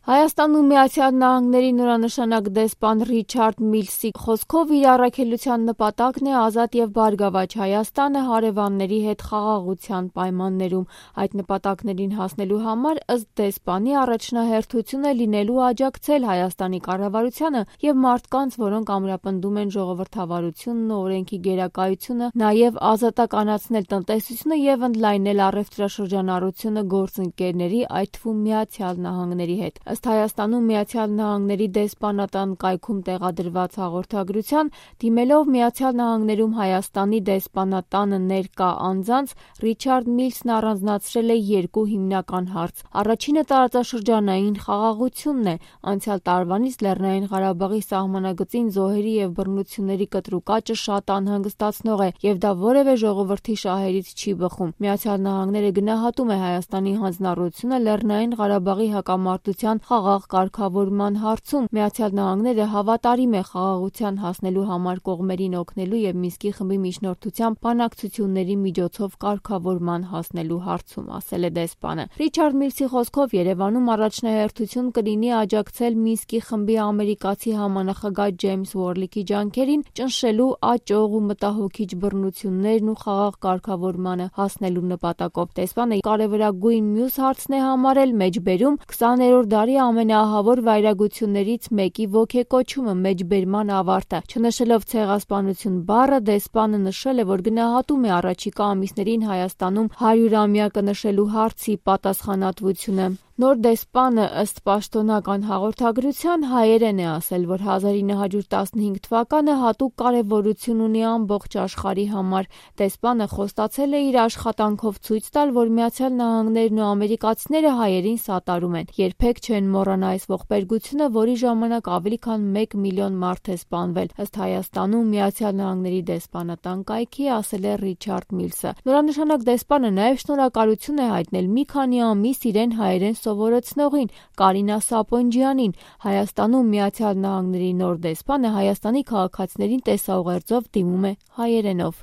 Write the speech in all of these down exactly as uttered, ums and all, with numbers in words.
Հայաստանում Միացյալ Նահանգների նորանշանակ դեսպան Ռիչարդ Միլսի խոսքով իր առաքելության նպատակն է ազատ և բարգավաճ Հայաստանը հարևանների հետ խաղաղության պայմաններում։ Այդ նպատակներին հասնելու համար ըստ դեսպանի առաջնահերթություն է լինելու աջակցել Հայաստանի կառավարությանը և մարդկանց, որոնք ամրապնդում են ժողովրդավարությունն ու օրենքի գերակայությունը, նաև ազատականացնել տնտեսությունը և ընդլայնել առևտրաշրջանառությունը գործընկերների, այդ թվում Միացյալ Նահանգների հետ։ Ըստ Հայաստանում Միացյալ Նահանգների դեսպանատան կայքում տեղադրված հաղորդագրության, դիմելով Միացյալ Նահանգներում Հայաստանի դեսպանատանը ներկա անձանց, Ռիչարդ Միլսն առանձնացրել է երկու հիմնական հարց։ Առաջինը տարածաշրջանային խաղաղությունն է։ Անցյալ տարվանից Լեռնային Ղարաբաղի սահմանագծին զոհերի և բռնությունների կտրուկ աճը շատ անհանգստացնող է, և դա որևէ ժողովրդի շահերից չի բխում։ Միացյալ Նահանգները գնահատում է Հայաստանի հանձնառությունը Լեռնային Ղարաբաղի հակամարտության խաղաղ կարգավորման հարցում։ Միացյալ Նահանգները հավատարիմ է խաղաղության հասնելու համար կողմերին օգնելու և Մինսկի խմբի միջնորդությամբ բանակցությունների միջոցով կարգավորման հասնելու հարցում, ասել է դեսպանը։ Ռիչարդ Միլսի խոսքով Երևանում առաջնահերթություն կլինի աջակցել Մինսկի խմբի ամերիկացի համանախագահ Ջեյմս Ուորլիքի ջանքերին ճնշելու աճող ու մտահոգիչ բռնություններն ու խաղաղ կարգավորմանը հասնելու նպատակով։ Դեսպանը կարևորագույն մյուս հարցն է համարել մեջբերում քսաներորդ դարի ամենաահավոր վայրագություններից մեկի ոգեկոչումը, մեջբերման ավարտը։ Չնշելով ցեղասպանություն բառը, դեսպանը նշել է, որ գնահատում է առաջիկա ամիսներին Հայաստանում հարյուրամյակը նշելու հարցի պատասխանատվությունը։ Նոր դեսպանը ըստ պաշտոնական հաղորդագրության հայերեն է ասել, որ հազար ինը հարյուր տասնհինգ թվականը հատուկ կարևորություն ունի ամբողջ աշխարհի համար։ Դեսպանը խոստացել է իր աշխատանքով ցույց տալ, որ Միացյալ Նահանգներն ու ամերիկացիները հայերին սատարում են։ Երբեք չեն մոռանա այս ողբերգությունը, որի ժամանակ ավելի քան մեկ միլիոն մարդ է սպանվել, ըստ Հայաստանում Միացյալ Նահանգների դեսպանատան կայքի, ասել է Ռիչարդ Միլսը։ Նորանշանակ դեսպանը նաև շնորհակալություն է հայտնել մի քանի ամիս իրեն հայերեն սովորեցնողին Կարինա Սապոնջյանին։ Հայաստանում Միացյալ Նահանգների նոր դեսպանը Հայաստանի քաղաքացիներին տեսաուղերձով դիմում է հայերենով։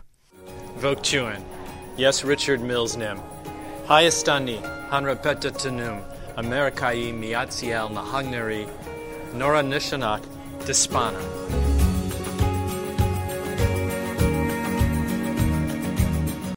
Ողջույն, ես Ռիչարդ Միլսն եմ։ Հայաստանի Հանրապետությունում Ամերիկայի Միացյալ Նահանգների նորանշանակ դեսպանը։